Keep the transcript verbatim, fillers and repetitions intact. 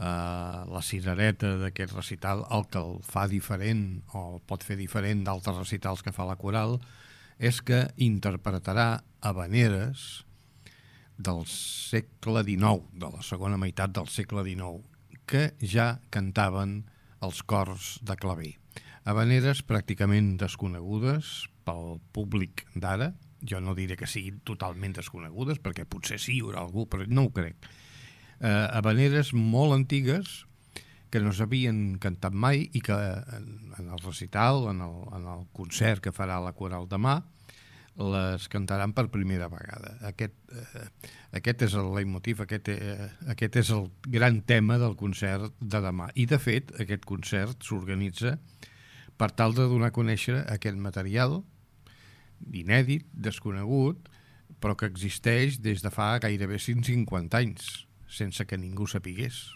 Uh, la cirereta d'aquest recital, el que el fa diferent o el pot fer diferent d'altres recitals que fa la coral, és que interpretarà havaneres del segle dinou, de la segona meitat del segle dinou, que ja cantaven els cors de claver. Havaneres pràcticament desconegudes pel públic d'ara. Jo no diré que siguin totalment desconegudes, perquè potser sí hi haurà algú, però no ho crec. Eh, havaneres molt antigues que no s'havien cantat mai i que en, en el recital, en el, en el concert que farà la coral demà, les cantaran per primera vegada. Aquest, eh, aquest és el leitmotiv, aquest, eh, aquest és el gran tema del concert de demà. I, de fet, aquest concert s'organitza per tal de donar a conèixer aquest material inèdit, desconegut, però que existeix des de fa gairebé cent cinquanta anys, sense que ningú sapigués.